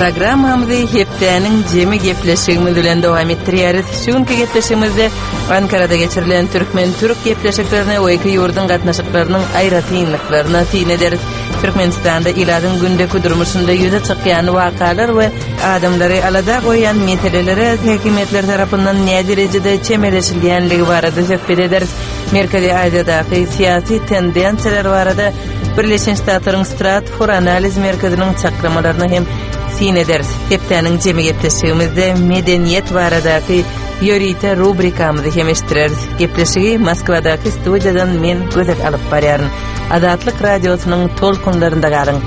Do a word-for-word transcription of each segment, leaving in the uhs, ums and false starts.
Programmamyzy hepdäniň jemi gepleşigimiz bilen dowam etdirýäris. Şu günki gepleşigimizde Ankarada geçirilen türkmen-türk gepleşiklerine we iki ýurduň gatnaşyklarynyň aýratynlyklaryna syn ederis. Türkmenistanda ilatyň gündeki durmuşynda ýüze çykýan wakalar we adamlary alada goýýan meselelere häkimiýetler tarapyndan näderejede çemeleşilýänligi barada söhbet ederis. Merkezi Aziýadaky syýasy tendensiýalar barada Birleşen Ştatlaryň Stratfor analiz merkeziniň çaklamalaryna hem syn ederis. Hepdäniň jemi gepleşigimizde medeniýet baradaky ýörite rubrikamyzy hem eşitdireris. Gepleşigi Moskwadaky studiýadan men Gözel alyp barýaryn. Azatlyk radiosynyň tolkunlarynda galyň.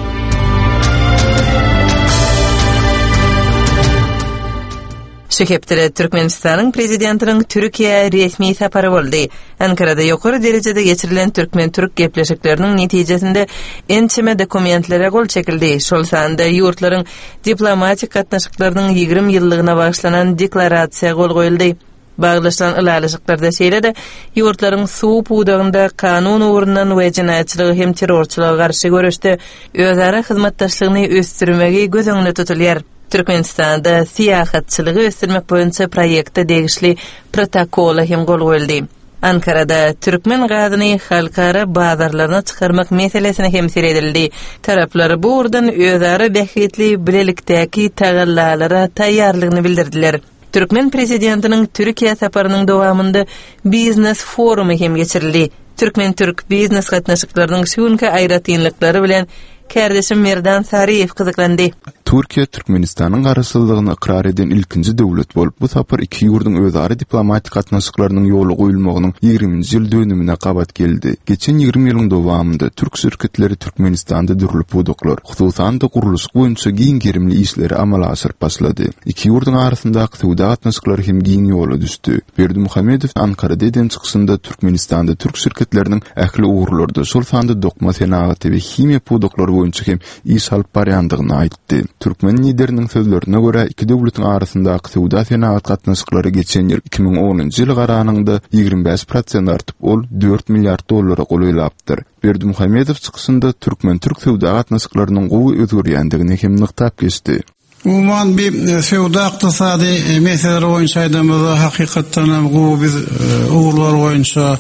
Şu hepdede Türkmenistanyň prezidentiniň Türkiýä resmi sapary boldy. Ankarada ýokary derejede geçirilen türkmen-türk gepleşikleriniň netijesinde ençeme dokumentlere gol çekildi. Şol sanda ýurtlaryň diplomatik gatnaşyklarynyň ýigrimi ýyllygyna bagyşlanan deklarasiýa gol goýuldy. Baglaşylan ylalaşyklarda şeýle-de ýurtlaryň suw pudagynda kanun ugrundan we jenaýatçylyga hem terrorçylyga garşy göreşde özara hyzmatdaşlygyny ösdürmegi göz öňünde tutulýar. Türkmenistanda syýahatçylygy ösdürmek boýunça proýekte degişli protokola hem gol goýuldy. Ankarada türkmen gazyny halkara bazarlaryna çykarmak meselesine hem seredildi. Taraplar bu ugurdan özara bähbitli bilelikdäki tagallalara taýýarlygyny bildirdiler. Türkmen prezidentiniň Türkiýä saparynyň dowamynda biznes forumy hem geçirildi. Türkmen-türk biznes gatnaşyklarynyň şu günki aýratynlyklary bilen kärdeşim Merdan Saryýew gyzyklandy. Türkiýe Türkmenistanyň garaşsyzlygyny ykrar eden ilkinji döwlet bolup, bu sapar iki ýurduň özara diplomatik gatnaşyklarynyň ýola goýulmagynyň ýigriminji ýyl dönümine gabat geldi. Geçen ýigrimi ýylyň dowamynda türk şirketleri Türkmenistanda dürli pudaklar, hususan-da gurluşyk boýunça giň gerimli işleri amala aşyryp başlady. Iki ýurduň arasyndaky söwda gatnaşyklary hem giň ýola düşdi. Berdimuhamedow Ankarada eden çykyşynda Türkmenistanda türk şirketleriniň ähli ugurlarda, şol sanda dokma senagaty we himiýa pudaklary boýunça hem iş alyp barýandygyny aýtdy. Türkmen lideriniň sözlerine görä, iki döwletiň arasyndaky söwda senagat gatnaşyklary geçen ýyl iki müň onunjy ýyla garanyňda ýigrimi bäş prosent artyp, ol dört milliard dollara golaýlapdyr. Berdimuhamedow çykyşynda türkmen-türk söwda gatnaşyklarynyň gowy özgerýändigini hem nygtap geçdi. Umuman bir söwda ykdysady meseleler boýunça aýdamyzda hakykatdan hem gowy biz ugurlar boýunça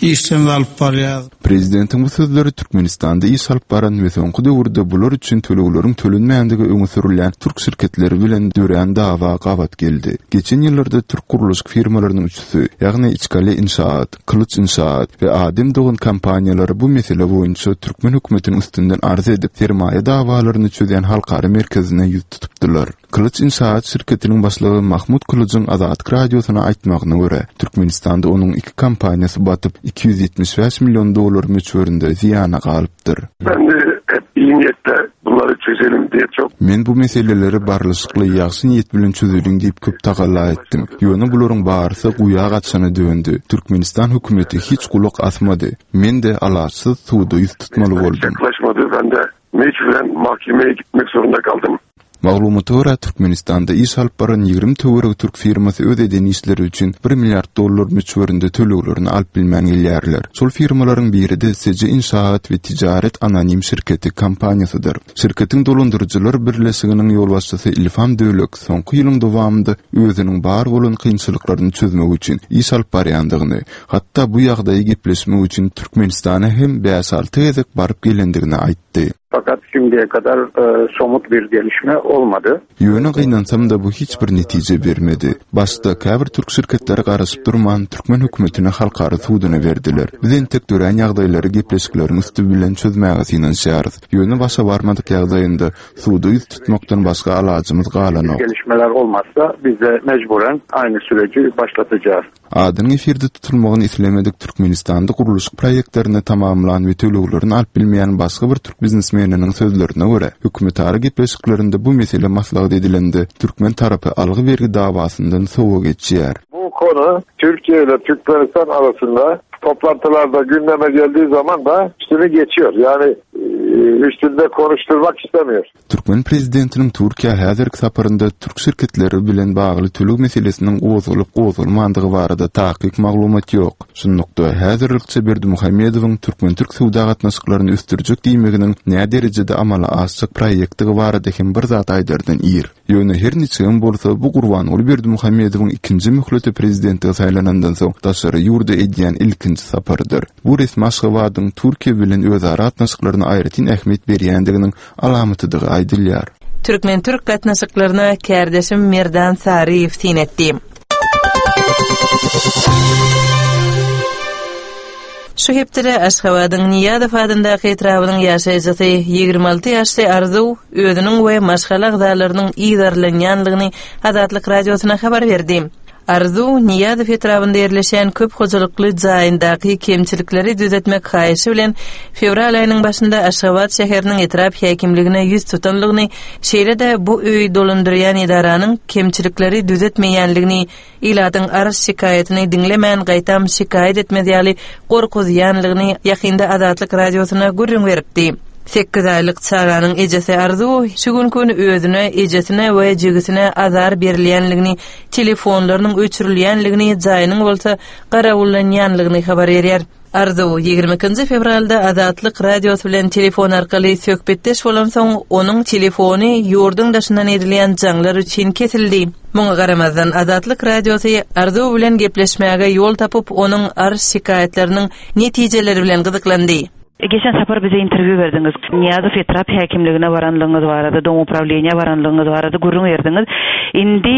işlerimizi alyp barýarys. Prezidentiň bu sözleri Türkmenistanda iş alyp baran we soňky döwürde bular üçin tölegleriň tölenmändigi öňe sürülýän türk şirketleri bilen dörän dawa gabat geldi. Geçen ýyllarda türk gurluşyk firmalarynyň üçüsi, ýagny Içkale Inşaat, Kylyç Inşaat we Adem Dogan kompaniýalary bu mesele boýunça türkmen hökümetiniň üstünden arz edip, sermaýa dawalaryny çözýän halkara merkezine ýüz tutupdylar. Kylyç Inşaat şirketiniň başlygy Mahmut Kylyjyň Azatlyk Radiosyna aýtmagyna görä, Türkmenistanda onuň iki kompaniýasy batyp, iki ýüz ýetmiş bäş million dollar möçberinde zyýana galypdyr. Ben de hep iyi niyetle bunları çözelim diye çok Men bu meseleleri barlyşykly, ýagşy niýet bilen çözeliň diýip köp tagalla etdim. Ýöne bularyň barysy guýa gaçana döndi. Türkmenistan hökümeti hiç gulak asmady. Men-de alaçsyz suda ýüz tutmaly boldum. Yaklaşmadı. Ben de mecburen mahkemeye gitmek zorunda kaldым. Maglumata görä, Türkmenistanda iş alyp baran ýigrimi töweregi türk firmasy öz eden işleri üçin bir milliard dollar möçberinde töleglerini alyp bilmän gelýärler. Şol firmalaryň biri-de S J Inşaat we Ticaret Anonim şirketi kompaniýasydyr. Şirketiň dolandyryjylar birleşiginiň ýolbaşçysy Ilham Dölek soňky ýylyň dowamynda özüniň bar bolan kynçylyklaryny çözmek üçin iş alyp barýandygyny, hatda bu ýagdaýy gepleşmek üçin Türkmenistana hem bäş-alty gezek baryp gelendigini aýtdy. Fakat şimdiye kadar, e, somut bir gelişme olmady. Ýöne gynansam-da bu hiç bir netije bermedi. Başda käbir türk şirketleri garaşyp durman türkmen hökümetine halkara suduna berdiler. Biz entek dörän ýagdaýlary gepleşikleriň üsti bilen çözmäge synanyşýarys. Ýöne başa barmadyk ýagdaýynda suda ýüz tutmakdan başga alajymyz galanok. Gelişmeler olmazsa biz de mecburen aynı süreci başlatacağız. Adynyň efirde tutulmagyny islemedik Türkmenistanda gurluşyk proýektlerini tamamlan we töleglerini alyp bilmeýän başga bir türk biznesmeniniň sözlerine görä, hökümetara gepleşiklerinde bu mesele maslahat edilende türkmen tarapy algy bergi dawasyndan sowa geçýär. Bu konu Türkiye ile Türkmenistan arasında toplantılarda gündeme geldiği zaman da üstünü geçiyor. Yani üstünde konuşturmak istemiyor. Türkmen prezidentiniň Türkiýä häzirki saparynda türk şirketleri bilen bagly töleg meselesiniň gozgalyp gozgalmandygy barada takyk maglumat ýok. Şunlukda häzirlikçe Berdimuhamedowyň türkmen-türk söwda gatnaşyklaryny ösdürjek diýmeginiň nä derejede amala aşjak proýektdigi barada hem bir zat aýdardan ir. Ýöne her niçigem bolsa bu Gurbanguly Berdimuhamedowyň ikinji möhlete prezidentlige saýlanandan soň daşary ýurda edýän ilkinji saparydyr. Bu resmi Aşgabadyň Türkiýe bilen özara gatnaşyklaryna aýratyn ähmiýet berýändiginiň alamatydygy aýdylýar. Türkmen-türk gatnaşyklaryna kärdeşim Merdan Saryýew syn etdi. Şu hepdede Aşgabadyň Nyýazow adyndaky etrabynyň ýaşaýjysy ýigrimi alty ýaşly Arzuw özüniň we maşgala agzalarynyň yzarlanýanlygyny Azatlyk radiosyna habar berdi. Arzuw Nyýazow etrabynda ýerleşen köp hojalykly jaýyndaky kemçilikleri düzetmek haýyşy bilen fewral aýynyň başynda Aşgabat şäheriniň etrap häkimligine ýüz tutanlygyny, şeýle-de bu öýi dolandyrýan edaranyň kemçilikleri düzetmeýänligini, ilatyň arz şikaýatyny diňlemän gaýtam şikaýat etmez ýaly gorkuzýanlygyny ýakynda Azatlyk radiosyna gürrüň beripdi. Sekiz aýlyk çaganyň ejesi Arzuw şu gün özüne, ejesine we jigisine azar berilýänligini, telefonlarynyň öçürilýänligini, jaýynyň bolsa garawullanýanlygyny habar berýär. Arzuw ýigrimi ikinji fewralda Azatlyk radiosy bilen telefon arkaly söhbetdeş bolansoň, onuň telefony ýurduň daşyndan edilýän jaňlar üçin kesildi. Muňa garamazdan Azatlyk radiosy Arzuw bilen gepleşmäge ýol tapyp, onuň arz şikaýatlarynyň netijeleri bilen gyzyklandy. Geçen sapar bize interwýu berdiňiz. Nyýazow etrap häkimligine baranlygyňyz barada, dom uprawleniýa baranlygyňyz barada gürrüň berdiňiz. Indi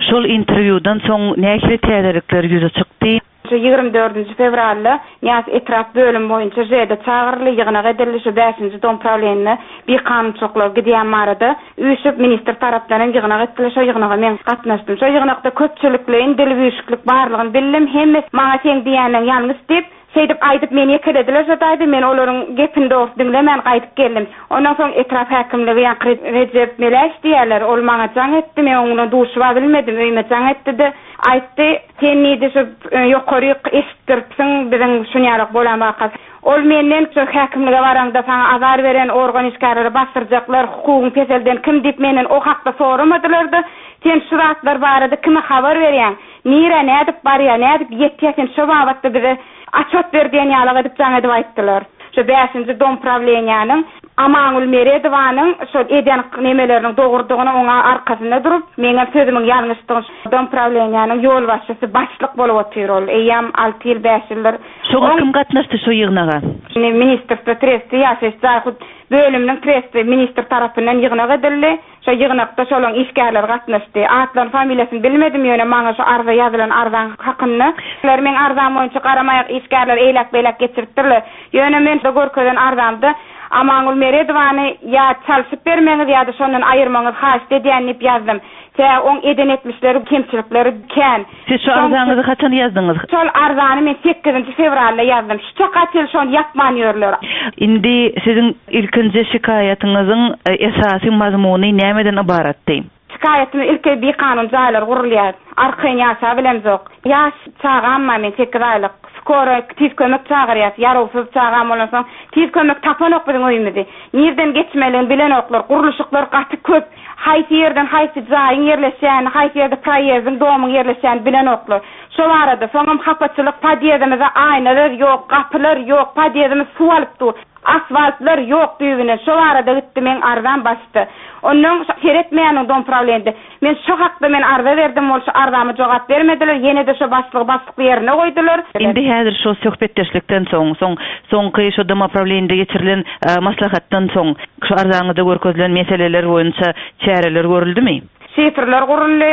şol interwýudan soň nähili täzelikler ýüze çykdy? Şu ýigrimi dördünji fewralda Nyýazow etrap bölüm boýunça J-de çagyryldy, ýygnak edildi, şu bäşinji dom uprawleniýa bir kanunçylyklar gidýän barada üýşüp ministr tarapdan hem ýygnak etdiler. Şo ýygnaga men gatnaşdym. Şo ýygnakda köpçülikleýin dil üýşüklik barlygyny bildim. Hemme maňa sen diýýäniň ýalňyş diýip, şeýdip aýdyp meni ýekelediler şo daýda, men olaryň gepini dogry diňlemän gaýdyp geldim. Ondan soň etrap häkimligi ýaňky Rejep Meläş diýerler, ol maňa jaň etdi, men oňa duşuba bilmedim, öýüme jaň etdi-de, aýtdy, sen diýdi şu, e, ýokary eşitdiripsiň biziň şunýalyk bolan wakasy. Ol menden şu häkimlige baraňda saňa azar beren organ işgärleri basdyrjaklar, hukugyň peselden kim diýip menden o hakda soramadylar-da, sen şu zatlar barada kime habar berýäň? Nire nädip barýa, nädip ýetýä, sen şu babatda bize açot ber diýen ýalyk edip jaň edip aýtdylar. Şu bäşinji dom prawleniýanyň Amangül Meredowanyň şol eden nemeleriniň dogrudygyny oňa arkasynda durup, meňem sözümiň ýalňyşdygyny dom prawleniýanyň ýolbaşçysy başlyk bolup otyr ol. Eýýäm alty ýyl, bäş ýyldyr. Şoňa Oň kim gatnaşdy şu ýygnaga? Şimdi ministrstwo tresti, ýaşaýyş jaý hut bölüminiň tresti ministr tarapyndan ýygnak edildi. Şo ýygnakda şolaň işgärleri gatnaşdy. Atlaryň familiýasyny bilmedim, ýöne maňa şu arza ýazylan arzaň hakynda. Ular meň arzam boýunça garamaýak işgärler eýläk-beýläk geçiripdirler. Ýöne men de görkezen arzamda Amangül Meredowany ýa çalşyp bermeňiz ýa-da şondan aýyrmaňyz haýyşt edýän diýip ýazdym. Tä oň eden etmişleri, kemçilikleri kän. Siz şu arzaňyzy haçan ýazdyňyz? Şol arzany men sekizinji fewralda ýazdym. Şu çaka çenli şony ýapman ýörler. Indi siziň ilkinji şikaýatyňyzyň, e, esasy mazmuny nämeden ybaratdy? Şikaýatymy ilki bir kanun jaýlar gurulýar. Arkaýyn ýaşa bilemzok. Ýaş çagam bar men sekiz aýlyk. Skora tiz kömek çagyrýar. Ýarawsyz çagam bolansoň tiz kömek tapanok biziň öýümizi. Nirden geçmeliini bilenoklar. Gurluşyklar gaty köp. Haýsy ýerden haýsy jaýyň ýerleşýäni, haýsy ýerde proýezdiň, domyň ýerleşýäni bilenoklar. Şo barada soňam hapaçylyk podýezdimize aýnalar ýok, gapylar ýok, podýezdimiz suw alyp dur. Asfaltlar ýok düýbüne. Şo barada gitdi men arzam başdy. Ondan seretmeýäniň dom problemde. Men şu hakda men arza berdim, ol şu arzama jogap bermediler. Ýene de şu başlygy başlykly ýerine goýdular. Indi häzir şu söhbetdeşlikden soň, soň soňky şu dom problemde geçirilen, e, maslahatdan soň şu arzaňyzda görkezilen meseleler boýunça çäreler görüldimi? Şifrler guruldy,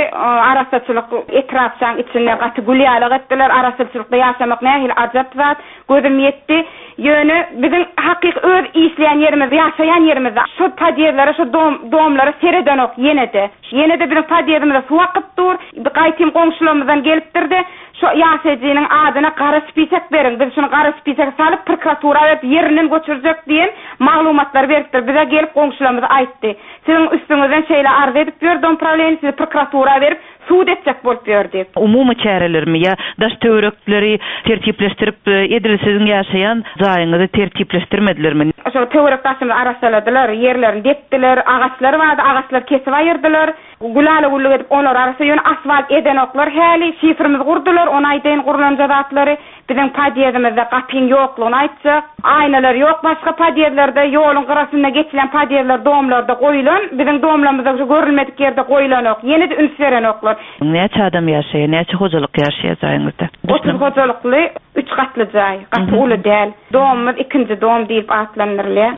arasaçylyk etrapçaň içinde gaty gül ýalyk etdiler. Arasaçylykda ýaşamak nähili ajap zat, gözüm ýetdi. Ýöne biziň hakyky öz işleýän ýerimiz, ýaşaýan ýerimizde şu podýezdlere, şu dom, domlara seredenok ýene-de. Ýene-de biziň podýezdimize suw akyp dur. Gaýtym goňşularymyzdan gelipdir-de, şu ýaşaýjynyň adyna gara spisek beriň. Biz şunu gara spisege salyp prokuratura berip ýerinden göçürjek diýen maglumatlar beripdir. Bize gelip goňşularymyz aýtdy. Siziň üstüňizden şeýle arz edip ýör dom prawleniýa, sizi prokuratura berip sud etjek bolup ýör diýip. Umumy çärelermi ýa daş töwerekleri tertipleşdirip, e, edil siziň ýaşaýan jaýyňyzy tertipleşdirmedilermi? Şol töwerek daşymyzy arassaladylar, ýerlerini depdiler, agaçlar bardy, agaçlary kesip aýyrdylar. Gülala güllük edip onlary arassa, ýöne asfalt edenoklar häli, şifrimizi gurdular, ony aýdaýyn gurlanja zatlary. Biziň podýezdimizde gapyň ýoklugyny aýtjak. Aýnalar ýok, başga podýezdlerde ýoluň gyrasynda geçilen podýezdler domlarda goýulan, biziň domlarymyzda şu görülmedik ýerde goýulanok, ýene-de üns berenoklar. Näçe adam ýaşaýar, näçe hojalyk ýaşaýar jaýyňyzda? Otuz hojalykly, üç gatly jaý, gaty uly däl. Domumyz ikinji dom diýip atlandyrylýar.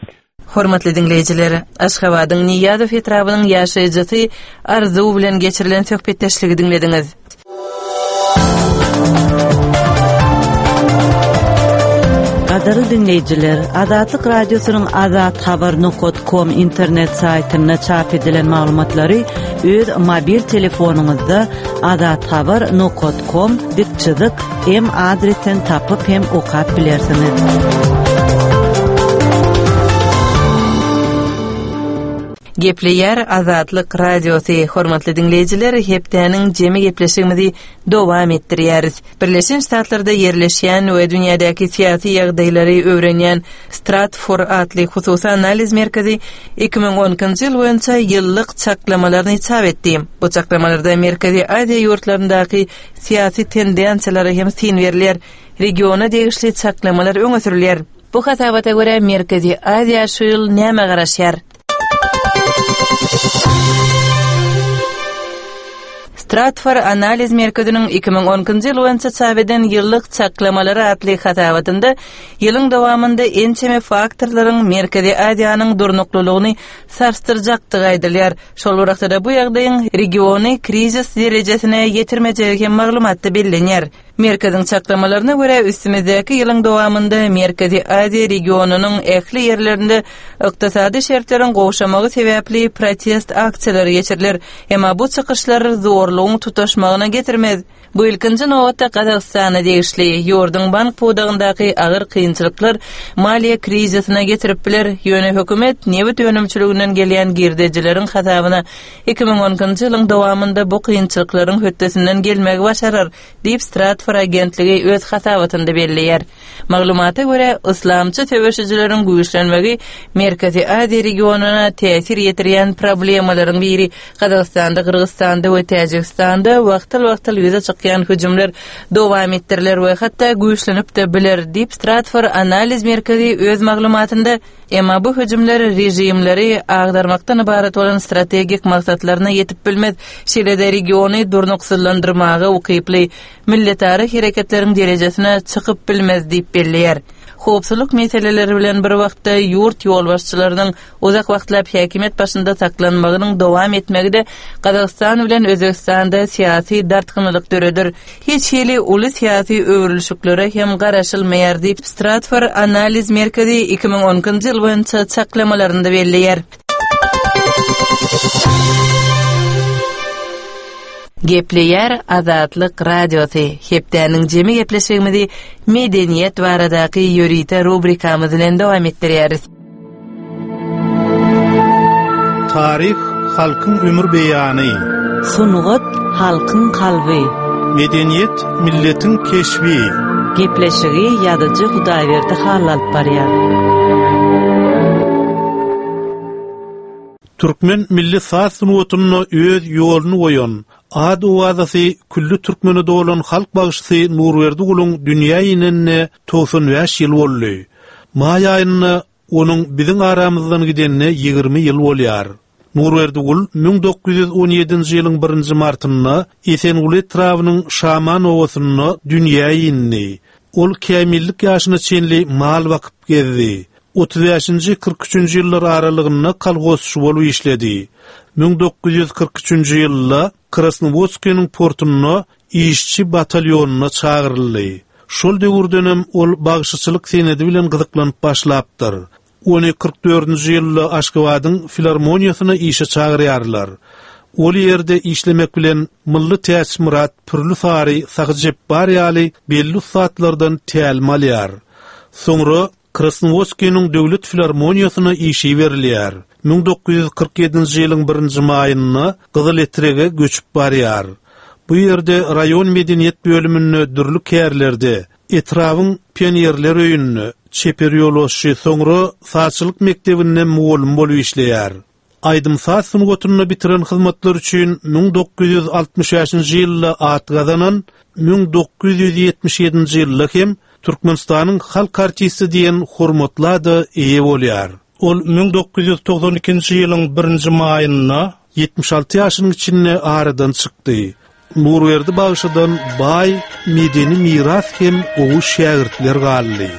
Hormatly diňleýjiler, Aşgabadyň Nyýazow etrabynyň ýaşaýjysy Arzuw bilen geçirilen söhbetdeşligi diňlediňiz. Gadyrly diňleýjiler, Azatlyk Radiosynyň azathabar nokat com internet saýtynda çap edilen maglumatlary öz mobil telefonyňyzda azathabar nokat com dik çyzyk m adresden tapyp hem okap bilersiňiz. Gepleýär Azatlyk Radiosy. Hormatly diňleýjiler, hepdäniň jemi gepleşigimizi dowam etdirýäris. Birleşen Ştatlarda ýerleşýän we dünýädäki syýasy ýagdaýlary öwrenýän Stratfor atly hususy analiz merkezi iki müň on ikinji ýyl boýunça ýyllyk çaklamalaryny çap etdi. Bu çaklamalarda Merkezi Aziýa ýurtlaryndaky syýasy tendensiýalara hem syn berilýär. Regiona degişli çaklamalar öňe sürülýär. Bu hasabata görä Merkezi Aziýa şu ýyl näme garaşýar? Stratfor analiz merkeziniň iki müň on ikinji ýyl boýunça çap eden ýyllyk çaklamalary atly hasabatynda ýylyň dowamynda ençeme faktorlaryň Merkezi Aziýanyň durnuklylygyny sarsdyrjakdygy aýdylýar. Şol bir wagtda bu ýagdaýyň regiony krizis derejesine ýetirmejegi hem maglumatda bellenýär. Merkeziň çaklamalaryna görä üstümizdäki ýylyň dowamynda Merkezi Aziýa regionynyň ähli ýerlerinde ykdysady şertleriň gowşamagy sebäpli protest aksiýalary geçiriler. Emma bu çykyşlar zorlugyň tutaşmagyna getirmez. Bu ilkinji nobatda Gazagystana degişli ýurduň bank pudagyndaky agyr kynçylyklar maliýe krizisine getirip biler. Ýöne hökümet nebit önümçiliginden gelýän girdejileriň hasabyna iki müň on ikinji ýylyň dowamynda bu kynçylyklaryň hötdesinden gelmegi başarar, diýip Stratfor agentligi öz hasabatynda belleýär. Maglumata görä, islamçy söweşijileriň güýçlenmegi Merkezi Aziýa regionyna täsir ýetirýän problemalaryň biri. Gazagystanda, Gyrgyzystanda we Täjigistanda wagtal-wagtal ýüze çykýan hüjümler dowam etdiriler we hatda güýçlenip-de biler, diýip Stratfor analiz merkezi öz maglumatynda, emma bu hüjümler rejimleri agdarmakdan ibarat bolan strategik maksatlaryna ýetip bilmez, şeýle-de regiony durnuksyzlandyrmaga ukyply milletara hereketleriň derejesine çykyp bilmez diýip belleýär. Howpsuzlyk meseleleri bilen bir wagtda ýurt ýolbaşçylarynyň uzak wagtlap häkimiýet başynda saklanmagynyň dowam etmegi de Gazagystan bilen Özbegistanda syýasy dartgynlyk döredir. Hiç hili uly syýasy öwrülişiklere hem garaşylmaýar diýip Stratfor analiz merkezi iki müň on ikinji ýyl boýunça çaklamalarynda belleýär. Gepleýär Azatlyk Radiosy. Hepdäniň jemi gepleşigimizi medeniýet baradaky ýörite rubrikamyz bilen dowam etdirýäris. Taryh halkyň ömür beýany. Sungat halkyň kalby. Medeniýet milletiň keşbi. Gepleşigi ýazyjy Hudaýberdi Hally alyp barýar. Türkmen milli saz sungatynda öz ýoluny goýan, ad owazasy külli türkmene dolan halk bagşysy Nurberdi Guluň dünýä inenine togsan bäş ýyl boldy. Maý aýynda onuň biziň aramyzdan gidenine ýigrimi ýyl bolýar. Nurberdi Gul müň dokuz ýüz on ýedinji ýylyň birinji martynda Esenguly etrabynyň Şaman obasynda dünýä indi. Ol kämillik ýaşyna çenli mal bakyp gezdi. Otuz bäşinji kyrk üçünji ýyllar aralygynda kolhozçy bolup işledi. Müň dokuz ýüz kyrk üçünji ýylda Krasnowodskiniň portunda işçi batalýonyna çagyryldy. Şol döwürdenem ol bagşyçylyk senedi bilen gyzyklanyp başlapdyr. Ony kyrk dördünji ýylda Aşgabadyň filarmoniýasyna işe çagyrýarlar. Ol ýerde işlemek bilen Mylly Täçmyrat, Pürli Sary, Sahy Jepbar ýaly belli ussatlardan tälim alýar. Soňra Krasnowodskiniň döwlet filarmoniýasyna işi berilýär. Müň dokuz ýüz kyrk ýedinji ýylyň birinji maýynda Gyzyletrege göçüp barýar. Bu ýerde raýon medeniýet bölüminde dürli kärlerde, etrabyň pionerler öýünde, çeper ýolbaşçy, soňra sazçylyk mekdebinde mugallym bolup işleýär. Aýdym saz sungatyny bitiren hyzmatlar üçin müň dokuz ýüz altmyş bäşinji ýylda at gazanan, müň dokuz ýüz ýetmiş ýedinji ýylda hem Türkmenistanyň halk artisti diýen hormatly ada eýe bolýar. Ol müň dokuz ýüz togsan ikinji ýylyň birinji maýynda ýetmiş alty ýaşynyň içinde aradan çykdy. Nurberdi bagşydan baý medeni miras hem gowy şägirtler galdy.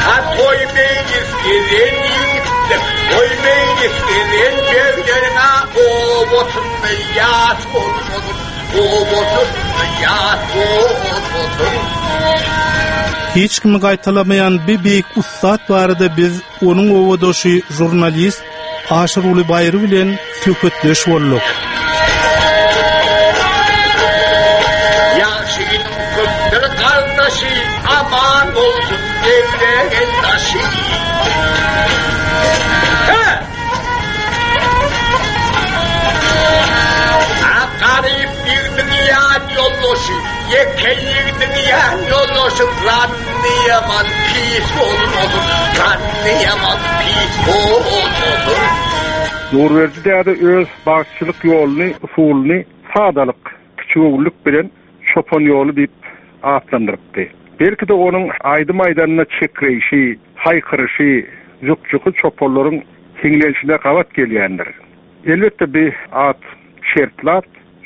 Ha toy meclis gelen yiğitler, toy meclis gelen berlerine o botunlu yas olsun, o botunlu yas olsun. Hiç kimi gaýtalamaýan bir beýik ussat barada biz onuň owadoşy jurnalist Aşyruly Baýry bilen söhbetdeş bolduk. Ýagşynyň köpdür gardaşy, aman bolsun devlegen daşy. He! A garip ýigdiň ýan ýoldaşy, ýeke ýigdiň ýan ýoldaşy, zannyýaman pis bolmasyn, zannyýaman pis bolmasyn. Nurberdi däde öz bagçylyk ýoluny, usulyny sadalyk, kiçigöwünlik bilen çopan ýoly diýip atlandyrypdy. Belki de onuň aýdym aýdanyna çekreýşi, haýkyryşy, jukjuky çopanlaryň hiňlenişine gabat gelýändir. Elbetde bir at şertli at.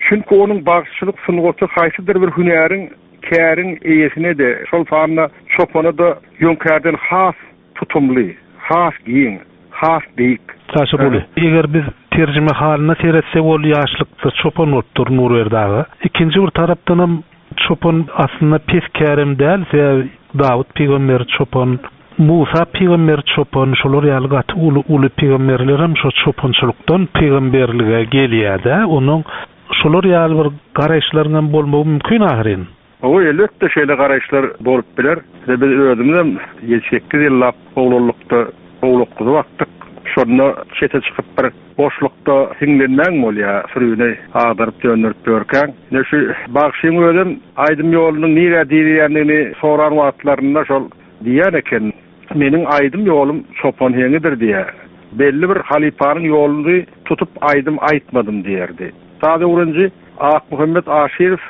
Çünki onuň bagçylyk sungaty haýsydyr bir hünäriň, käriň eýesine de, şol sanda çopana da ýöňkärden has tutumly, has giň, has beýik. Aşyruly, eger biz terjime halyna seretsek, ol ýaşlykda çopan bolupdyr Nurberdi aga. Ikinji bir tarapdanam çopan aslynda pes kärem däl, sebäbi Dawut pygamber çopan, Musa pygamber çopan, şolar ýaly gaty uly uly pygamberler hem şo çopançylykdan pygamberlige gelýär-de, onuň şolar ýaly bir garaýyşlaryň hem bolmagy mümkin ahyryn. O elbetde şeýle garaýyşlar bolup biler. Biz özümizem ýedi sekiz ýyllap oglanlykda owlak-guzy bakdyk. Şonda çete çykyp bir boşlukda hiňlenmäň bolýar, sürüni agdaryp döndürip görkäň. Ne şu bagşyň özüm aýdym ýolunyň nirä diýilýändigini soran wagtlarynda şol diýen eken. Meniň aýdym ýolum çopan heňidir diýär. Belli bir halypanyň ýoluny tutup aýdym aýtmadym diýerdi. Saz öwrenji Akmuhammet Aşyrow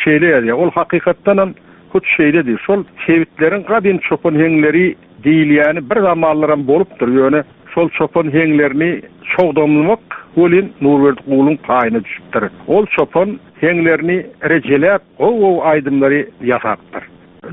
şeýle ýazýar. Ol hakykatdan hem hut şeýle diýir. Şol sebitleriň gadym çopan heňleri diýilýäni bir zamanlaram bolupdyr. Ýöne şol çopan heňlerini çogdamlamak welin Nurberdi Guluň paýyna düşüpdir. Ol çopan heňlerini rejeläp, gowy-gowy aýdymlary ýasapdyr.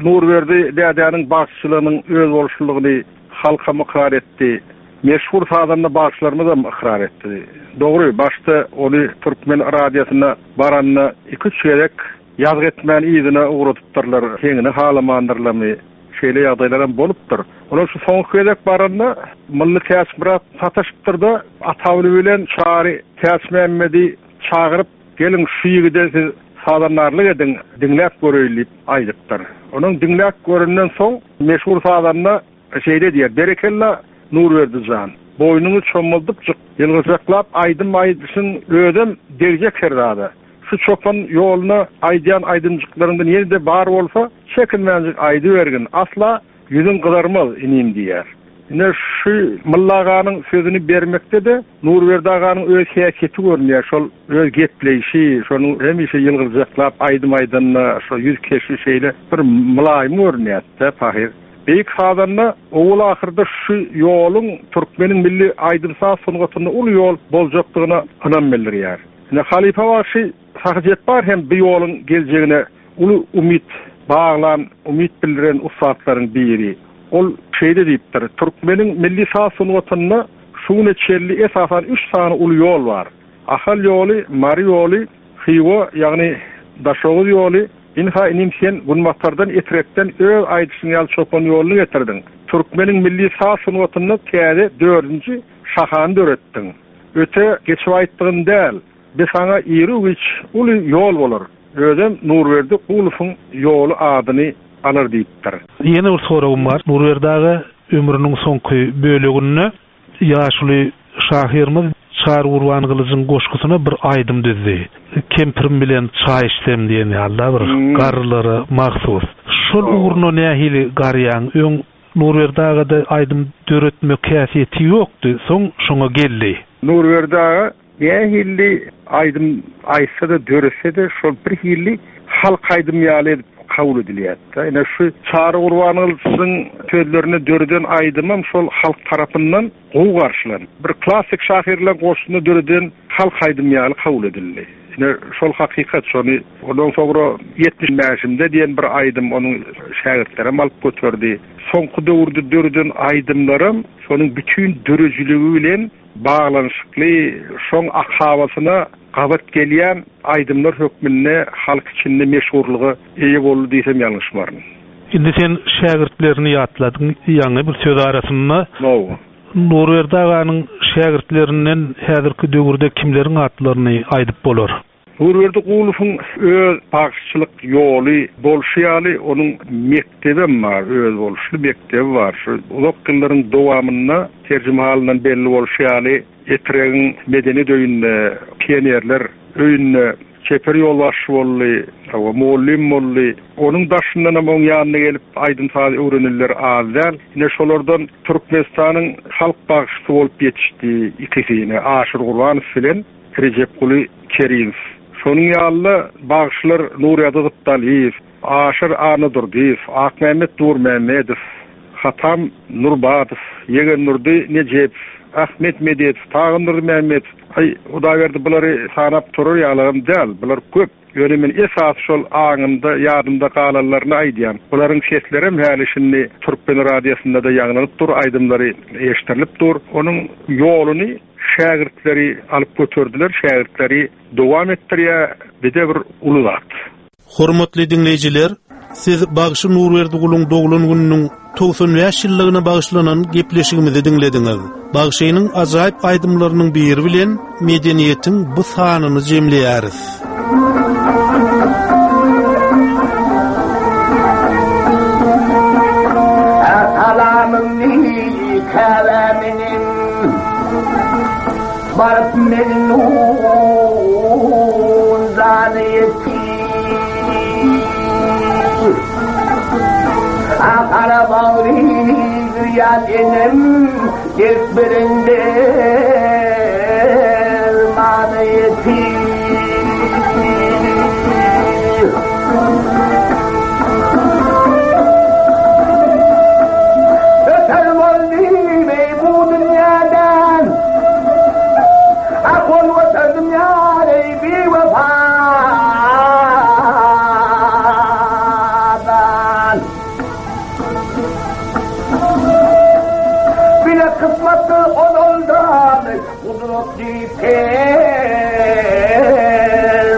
Nurberdi dädäniň bagşyçylygynyň öz bolşulygyny halka ykrar etdi. Meşhur sazanda bagşylarymyz hem ykrar etdi. Dogry, başda ony Türkmen radiosyna baranda iki-üç gezek ýazgy etmän yzyna ugradypdyrlar, heňini halamandyrlamy, şeýle ýagdaýlar hem bolupdyr. Olar şu soňky gezek baranda Mylly Täçmyrat sataşypdyr da Atawly bilen Çary Täçmämmedi çagyryp, geliň şu ýigide siz sazandarlyk ediň, diňläp göreýin diýip aýdypdyr. Onuň diňläp görenden soň meşhur sazanda şeýle diýer: Berekella Nurberdi jan, boýnuňy çommaldypjyk, ýylgyjaklap aýdym aýdyşyň özem degjek her zada. Şu çopan ýoluna aýdýan aýdymjyklaryňdan ýene-de bar bolsa, çekinmänjik aýdybergin, asla ýüzüň gyzarmaz inim diýer. Ine şu Mylly aganyň sözüni bermekde de Nurberdi aganyň öz häsiýeti görünýär. Şol öz gepleýşi, şonuň hemişe ýylgyrjaklap aýdym aýdanda şo ýüz keşbi şeýle bir mylaýym görünýär-de pahyr. Beýik sazanda owal ahyrda şu ýoluň türkmeniň milli aýdym-saz sungatynda uly ýol boljakdygyna ynam bildirýär. Ine halypa bagşy Sahy Jepbar hem bu ýoluň geljegine uly umyt baglan, umyt bildiren ussatlaryň biri. Ol şeýle diýipdir: Türkmeniň milli saz sungatynda şu güne çenli esasan üç sany uly ýol bar. Ahal ýoly, Mary ýoly, Hywa, ýagny Daşoguz ýoly. Inha inim sen Günbatardan Etrekden öz aýdyşyň ýaly çopan ýoluny getirdiň. Türkmeniň milli saz sungatynda täze dördünji şahany döretdiň. Öte geçip aýtdygym däl. Bi saňa iri-giç uly ýol bolar. Özem Nurberdi Gulowyň ýoly adyny alar diýipdir. Ýene bir soragym bar. Nurberdi aga ömrüniň soňky böleginde ýaşuly şahyrymyz Çary Gurbangylyjyň goşgusyna bir aýdym düzdi. Kempirim bilen çaý içsem diýen ýaly bir Hmm. garrylara mahsus. Şol ugruna nähili garýaň? Öň Nurberdi agada aýdym döretmek häsiýeti ýokdy, soň şoňa geldi. Nurberdi aga nähili aýdym aýtsa-da döretse-de şol bir hili halk aýdym ýaly edip kabul edilýärdi. Ine şu Çary Gurbangylyjyň sözlerine döreden aýdymam şol halk tarapyndan gowy garşylandy. Bir klassyk şahyrlaryň goşgusyny döreden halk aýdym ýaly kabul edildi. Ine şol hakykat şony ondan soňra ýetmiş bäşimde diýen bir aýdym onuň şägirtlerem alyp göterdi. Soňky döwürde döreden aýdymlaram şonuň bütün döredijiligi bilen baglanyşykly şoň akabasyna gabat gelýän aýdymlar hökmünde halk içinde meşhurlyga eýe boldy diýsem ýalňyşmaryn. Indi sen şägirtlerini ýatladyň, ýaňy bir söz arasynda. Hawa. Nurberdi aganyň şägirtlerinden häzirki döwürde kimleriň atlaryny aýdyp bolar? Nurberdi Gulowyň öz bagşyçylyk ýoly bolşy ýaly onuň mekdebem bar, öz boluşly mekdebi bar. Şu uzak ýyllaryň dowamynda terjimehalyndan belli bolşy ýaly Etregiň medeniýet öýünde, pionerler öýünde çeper ýolbaşçy boldy, hawa, mugallym boldy. Onuň daşyndan hem oň ýanyna gelip aýdym saz öwrenenler az däl. Ine şolardan Türkmenistanyň halk bagşysy bolup ýetişdi ikisi, ine Aşyr Gurbanow bilen Rejepguly Kerimow. Şonuň ýaly bagşylar Nurýadyz Gypdalyýew, Aşyr Anadurdyýew, Akmämmet Nurmämmedow, Hatam Nurbadow, Ýegennurdy Nejepow, Ahmet Medetow, Tagynurdy Mämmedow. Aý, Hudaýberdi bulary sanap turar ýalygym däl, bular köp. Ýöne men esas şol aňymda, ýadymda galanlaryny aýdýan. Bularyň sesleri hem häli şindi Türkmen radiosynda da ýaňlanyp dur, aýdymlary eşdirilip dur. Onuň ýoluny şägirtleri alyp göterdiler, şägirtleri dowam etdirýär, bir de bir uly zat. Hormatly dinleýjiler, siz Bagşy Nurberdi Guluň doglan gününiň togsan bäş ýyllygyna bagyşlanan gepleşigimizi diňlediňiz. Bagşynyň ajaýyp aýdymlarynyň biri bilen medeniýetiň bu sanyny jemleýäris. Salamym käbäminiň baryp melnun zany ýetir. Akara bagry ýan enem gelip berende mana ýetir. Öter boldy bey bu dünýäden, Akol öterdim ýar ey bi wefadan. Bile kısmetli onundan, kudretli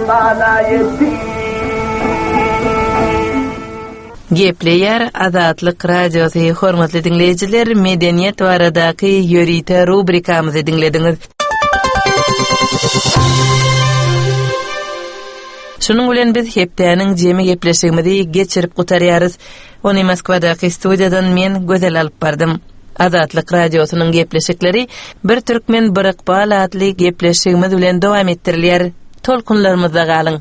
permana yetti. Gepleýär Azatlyk Radiosy. Hormatly dinleýjiler, medeniýet baradaky ýörite rubrikamyzy diňlediňiz. Şunuň bilen biz hepdäniň jemi gepleşigimizi geçirip gutarýarys. Ony Moskwadaky studiýadan men Gözel alyp bardym. Azatlyk Radiosynyň gepleşikleri Bir Türkmen Bir Ykbal atly gepleşigimiz bilen dowam etdirilýär. Tolkunlarymyzda galyň.